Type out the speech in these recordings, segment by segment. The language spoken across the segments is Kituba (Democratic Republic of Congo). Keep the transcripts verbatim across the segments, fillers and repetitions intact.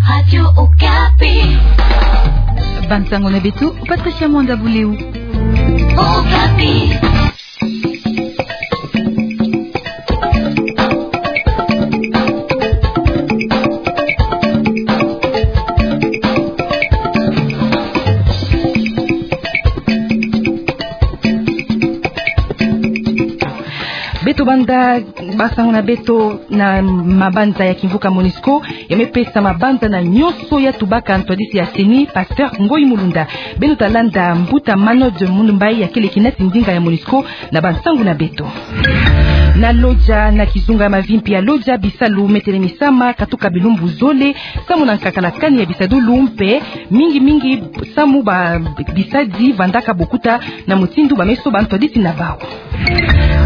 Radio Okapi. Bansango na beto, Patricia Mwanda Buleu. Okapi. Beto banda bansango na beto na mabanza ya kimvuka MONUSCO, ya me pesa mabanza na nyonso ya tubaka ntwadisi ya CENI, Pasteur Ngoyi Mulunda. Beno ta landa mbuta Manod Munumbai ya kele kinati ndinga ya MONUSCO na bansango na beto. Na Lodja, na kizunga ya mavimpi ya Lodja, bisalu me telemisama katuka bilumbu zole, samu na nkakala kani ya bisadulu mpe mingi mingi samu ba bisadi vandaka bokuta na mutindu ba me soba ntwadisi na bawu.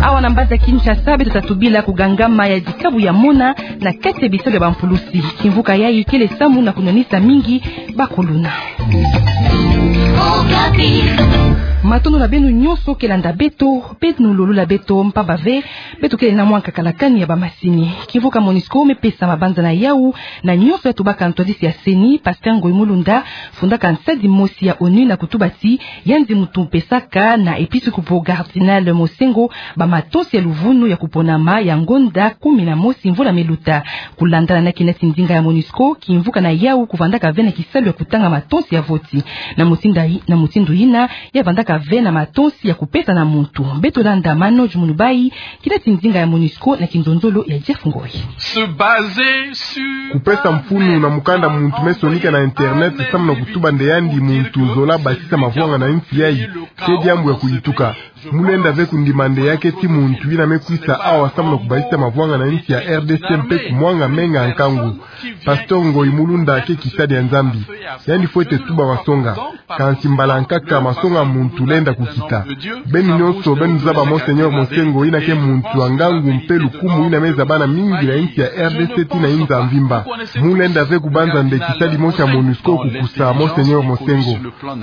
Awa na mbanza Kinshasa, beto ta tubila kugangama ya dikabu ya mona na kati ya bisalu ya bampulusi. Kimvuka yayi kele samu na kunwanisa mingi bakuluna. Matondo na beno nyonso ke landa beto, beno lulula beto, mpamba ve beto kele na mwa nkakala kani ya bamasini. Kimvuka MONUSCO me pesa mabanza na yawu na nyonso ya tubaka ntwadisi ya CENI, Pasteur Ngoyi Mulunda, fundaka nsadi mosi ya ONU na kutuba ti yandi muntu pesaka na episkopo Cardinal Monsengwo bamatonsi ya luvunu ya kuponama ya ngonda kumi na mosi mvula me luta. Kulandana na kinati ndinga ya MONUSCO, kimvuka na yawu kuvandaka ve na kisalu ya kutanga matonsi ya voti. Na mutindu yi-, na mutindu yina, ya vandaka ve na matonsi ya kupesa na muntu. Beto landa Manod Munumbai, kinati ndinga ya MONUSCO na kinzonzolo ya Jeff Ngoyi. Se baser sur... Kupesa mfunu na mukanda muntu me sonika na internet samu na kutuba nde yandi muntu zola basisa mavwanga na nsi yayi, ke diambu ya kuyituka. Mu lenda ve kundima nde ya keti muntu yina me kwisa awa samu na kubasisa mavwanga na nsi ya R D C mpe kumwanga menga nkangu. Pasteur Ngoyi Mulunda ke kisadi ya Nzambi. Yandi fwete tuba masonga. Kansi mbala nkaka masonga muntu lenda kukita. Beno nyonso, beno zaba Monseigneur Monsengwo yina ke muntu wa ngangu mpe lukumu yina me zabana mingi na nsi ya R D C tii na inza mvimba. Mu lenda ve kubanza nde kisadi mosi ya MONUSCO kukusa Monseigneur Monsengwo.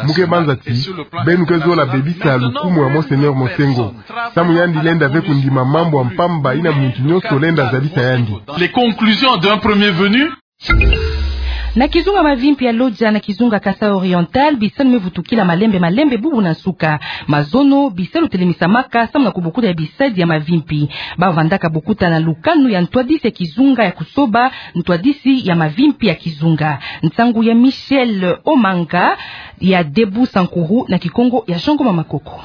Mu ke banza ti, beno ke zola bebisa lukumu ya Monseigneur Monsengwo. Samu yandi lenda ve kundima mambu ya mpamba yina muntu nyonso lenda zabisa yandi. Les conclusions d'un premier venu. Na kizunga mavimpi ya Lodja na kizunga Kasaï Oriental, bisalu me vutukila malembe malembe bubu na nsuka. Mazono, bisalu telemisamaka samu na kubokuta ya bisadi ya mavimpi. Ba vandaka bokuta na lukanu ya ntwadisi ya kizunga ya kusoba ntwadisi ya mavimpi ya kizunga. Nsangu ya Michel Omanga, ya Debout Sankuru na Kikongo ya Jean Ngoma Makoko.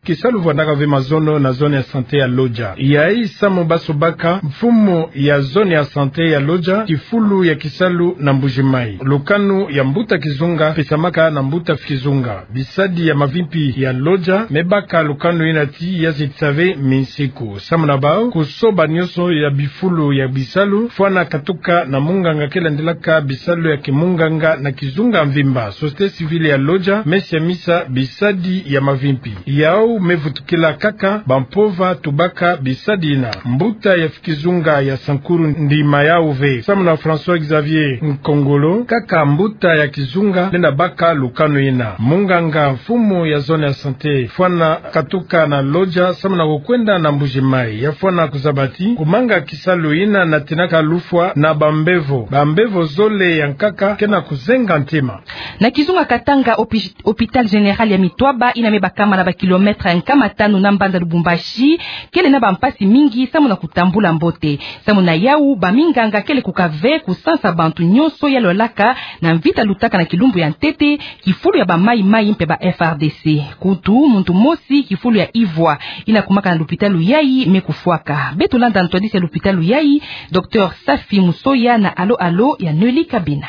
Kisalu vandaka ve mazono na zone ya santé ya Lodja. Yayi samu ba sobaka mfumu ya zone ya santé ya Lodja, kifulu ya kisalu na Mbuji-Mayi. Lukanu ya mbuta kizunga pesamaka na mbuta kizunga. Bisadi ya mavimpi ya Lodja me baka lukanu yina ti ya zitisa ve minsiku. Samu na bawu, kusoba nyonso ya bifulu ya bisalu, fwana katuka na munganga ke landilaka bisalu ya kimunganga na kizunga mvimba. Société civile ya Lodja me siamisa bisadi ya mavimpi. Yawu me vutukila kaka bampova tubaka bisadi yina. Mbuta ya kizunga ya Sankuru ndima yawu ve. Samu na François Xavier Nkongolo, kaka mbuta ya kizunga lenda baka lukanu yina. Munganga mfumu ya zone ya santé fwana katuka na Lodja samu na kukwenda na Mbuji-Mayi. Ya fwana kuzaba ti kumanga kisalu yina natinaka lufwa na bambevo. Bambevo zole ya nkaka ke na kuzenga ntema. Na kizunga Katanga, opi-, hôpital général ya Mitwaba, yina me bakama na ba kilomètre nkama tanu na mbanza Lubumbashi, kele na bampasi mingi samu na kutambula mbote. Samu na yawu, baminganga kele kukave kusansa bantu nyonso ya lwalaka na mvita lutaka na kilumbu ya ntete, kifulu ya ba Maï-Maï mpe ba F A R D C. Kutu, muntu mosi kifulu ya ivwa yina kumaka na lupitalu yayi me kufwaka. Beto landa ntwadisi ya lupitalu yayi, Docteur Safi Musoya na alo-alo ya Noélie Kabena.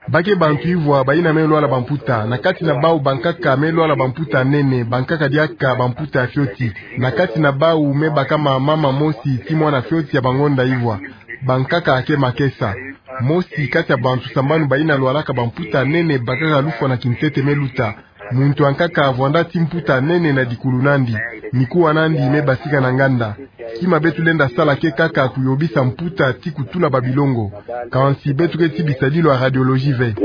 Ba ke bantu ivwa bayina me lwala bamputa, na kati na bawu bankaka me lwala bamputa nene, bankaka diaka bamputa ya fioti. Na kati na bawu me bakama mama mosi tii mwana fioti ya bangonda ivwa. Bankaka ke makesa. Mosi kati ya bantu sambanu bayina lwalaka bamputa nene bakaka lufwa na kintete me luta. Muntu ankaka avwanda tii mputa nene na dikulu nandi, mikuwa nandi me basika na nganda. Kima beto lenda sala ke kaka kuyobisa mputa tii kutula babilongo. Kansi beto ke tii bisadilu ya radiologie ve.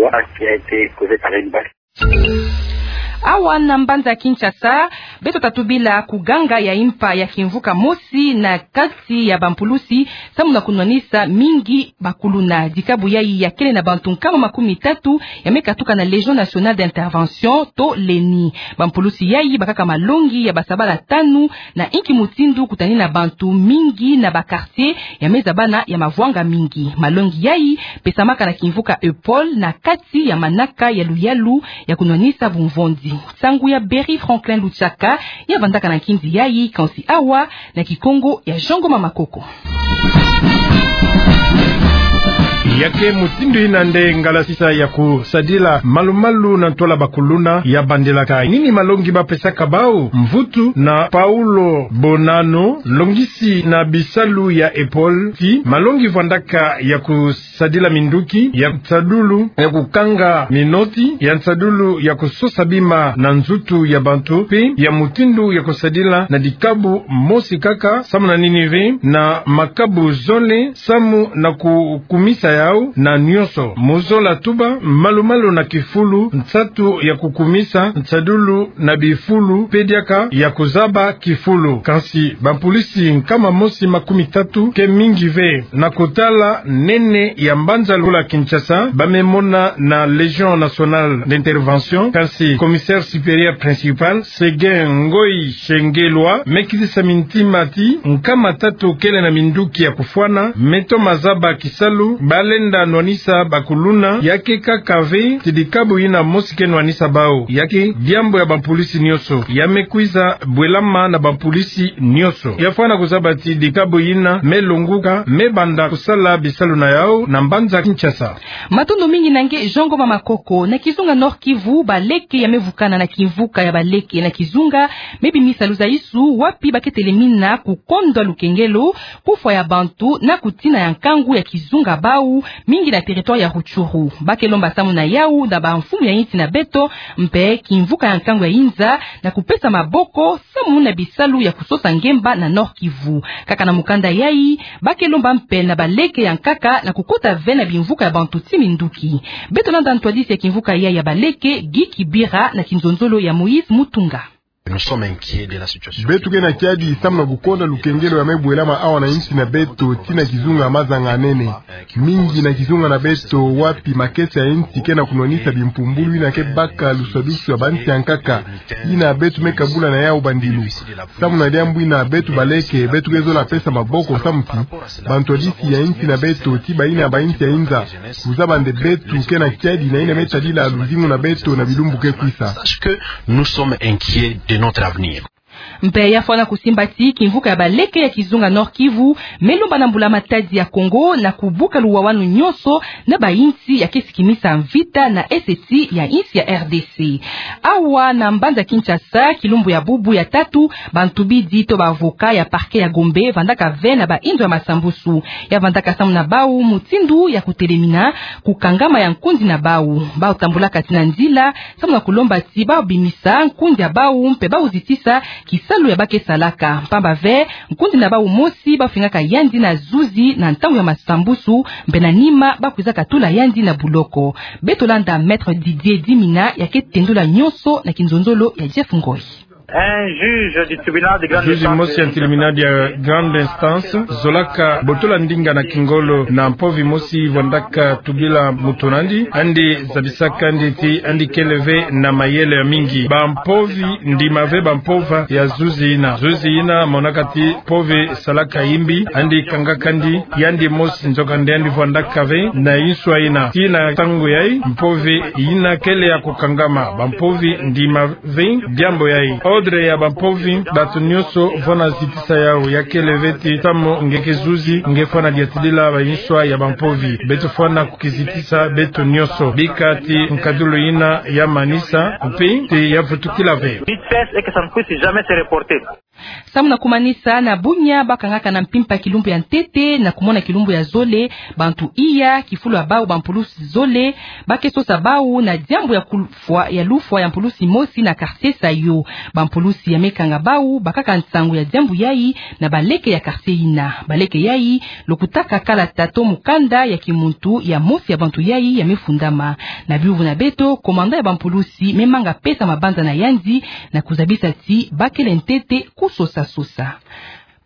Awa na mbanza Kinshasa, beto ta tubila kuganga ya impa ya kimvuka mosi na kati ya bampulusi, samu na kunwanisa mingi bakuluna. Dikabu yayi ya kele na bantu nkama makumi tatu ya me katuka na Légion Nationale d'Intervention to leni. Bampulusi yayi bakaka malongi ya basabala tanu na inki mutindu kutanina bantu mingi na ba quartier ya me zabana ya mavwanga mingi. Malongi yayi pesamaka na kimvuka Eupol na kati ya manaka ya luyalu ya kunwanisa bumvonzi. Nsangu ya Berry Franklin Luchaka ya vandaka na nkinzi yayi, kansi awa na Kikongo ya Jean Ngoma Makoko. Ya ke mutindu ina nde ngalasisa ya kusadila malumalu na ntwala bakuluna ya bandilaka. Nini malongi ba pesaka bau? Mvutu na Paulo Bonano, longisi na bisalu ya Eupol, ti malongi vandaka ya kusadila minduki, ya nsadulu ya kukanga minoti, ya nsadulu ya kusosa bima na nzutu ya bantu, pe ya mutindu ya kusadila na dikabu mosi kaka, samu na nini ve, na makabu zole, samu na kukumisa yau na nionso. Mozola tuba, malumalu na kifulu, nsatu ya kukumisa, nsadulu na bifulu, pe diaka ya kuzaba kifulu. Kansi bampulisi nkama mosi makumi tatu ke mingi ve. Na kotala nene ya mbanza lokola Kinshasa, ba me mona na Légion Nationale d'Intervention, kansi commissaire supérieur principal, Séguin Ngoy Shengelwa, me kizisa mintima ti nkama tatu kele na minduki ya kufwana, me toma zaba kisalu, ba lenda nwanisa bakuluna, ya ke kaka ve ti dikabu ina mosi ke nwanisa bau. Ya ke diambu ya bampulisi nionso. Ya me kwiza bwelama na bampulisi nionso. Ya fwana kuzaba ti dikabu ina me longuka, me banda kusala bisalu na yau na mbanza Kinshasa. Matondo mingi na nge Jean Ngoma Makoko. Na kizunga Nord-Kivu, baleke ya me vukana na kimvuka ya baleke na kizunga me bimisa luzaisu wapi ba ke telemina kukondwa lukengelo, kufwa ya bantu na kutina ya nkangu ya kizunga bau, mingi na territoire ya Rutshuru. Ba ke lomba samu na yau na bamfumu ya insi na beto, mpe kimvuka ya nkangu ya inza, na kupesa maboko samu na bisalu ya kusosa ngemba na Nord-Kivu. Kaka na mukanda yayi, ba ke lomba mpe na baleke ya nkaka na kukota ve na bimvuka ya bantu ti minduki. Beto landa ntwadisi ya kimvuka yayi ya baleke, Guy Kibira, na kinzonzolo ya Moïse Mutunga. Nous sommes inquiets de la situation. Beto ke na kiadi samu na kukondwa lukengelo ya me bwelama awa na insi na beto, ti na kizunga Mazanga-Nene. Mingi na kizunga na beto wapi makesa ya insi ke na kunwanisa bimpumbulu ina ke baka luswadusu ya bansi ya nkaka, ina beto me kabula na yau bandilu. Samu na diambu ina beto baleke, beto ke zola pesa maboko samu ti bantwadisi ya insi na beto, ti baina ba insi ya inza, kuzaba nde beto ke na kiadi na ina me tadila luzingu na beto na bilumbu ke kwisa. Sache que nous sommes inquiets de notre avenir. Mpe ya fwana kusimba ti kimvuka ya baleke ya kizunga Nord-Kivu me lomba na Mbula Matadi ya Kongo na kubuka luwawanu nionso na ba insi ya ke sikimisa mvita na eseti ya insi ya R D C. Awa na mbanza Kinshasa, kilumbu ya bubu ya tatu, bantubidi to ba avocat ya parquet ya Gombe vandaka ve na ba inzo ya masambusu. Ya vandaka samu na bau mutindu ya kutelemina kukangama ya nkundi na bau. Bau tambulaka ti na nzila samu na kulomba ti bau bimisa nkundi ya bau mpe bau zitisa kisalu ya ba ke salaka. Mpamba ve, nkundi na bau mosi bau fingaka yandi na zuzi na ntangu ya masambusu, mpe na nima bau kwizaka tula yandi na buloko. Beto landa Maître Didier Dimina ya ke tendula nionso na kinzonzolo ya Jeff Ngoy. Un juge du tribunal de grande instance. Juzi mosi ya tribunal ya grande instance zolaka botola ndinga na kingolo na mpovi mosi vandaka tubila mutu nandi, andi zabisaka andi ti andi kele ve na mayele ya mingi. Bampovi ndima ve bampova ya zuzi ina. Zuzi ina monaka ti mpovi salaka imbi, andi kangaka andi, yandi mosi, nzoka nde andi vandaka ve na inswa ina. Ti na ntangu yai, mpovi ina kele ya kukangama. Bampovi ndima ve diambu yai. Ordre ya bampovi, bato nionso vona zitisa yau, ya kele ve ti samu nge ke zuzi, nge fwana diatidila ba inswa ya bampovi. Beto fwana kukizitisa beto nionso. Bika ti nkadulu ina ya manisa, mpe ti ya vutukila ve. Vitesse et que ça ne puisse jamais se reporter. Samu na kumanisa, na Bunia bakangaka na mpimpa kilumbu ya ntete na kumona kilumbu ya zole bantu iya, kifulu ya bau bampulusi zole, ba ke sosa bau na diambu ya kulufwa, ya lufwa ya mpulusi mosi na quartier Saïo. Bampulusi ya me kanga bau bakaka nsangu ya diambu yayi na baleke ya quartier yina. Baleke yayi lokutaka kalata to mukanda ya kimuntu ya mosi ya bantu yayi ya me fundama. Na biuvu na beto, commandant ya bampulusi me manga pesa mabanza na yandi na kuzabisa ti ba kele ntete kusosa-sosa.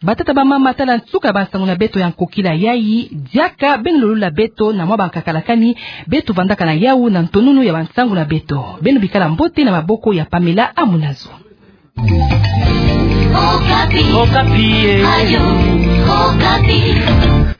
Batata, bamama, tala nsuka ya bansangu na beto ya nkokila yayi. Diaka beno lolula beto na mwa bankakalakani beto vandaka na yau na ntonunu ya bansangu na beto. Beno bikala mbote na maboko ya Pamela Amunazo. Okapi. Okapi, eh. Radio Okapi.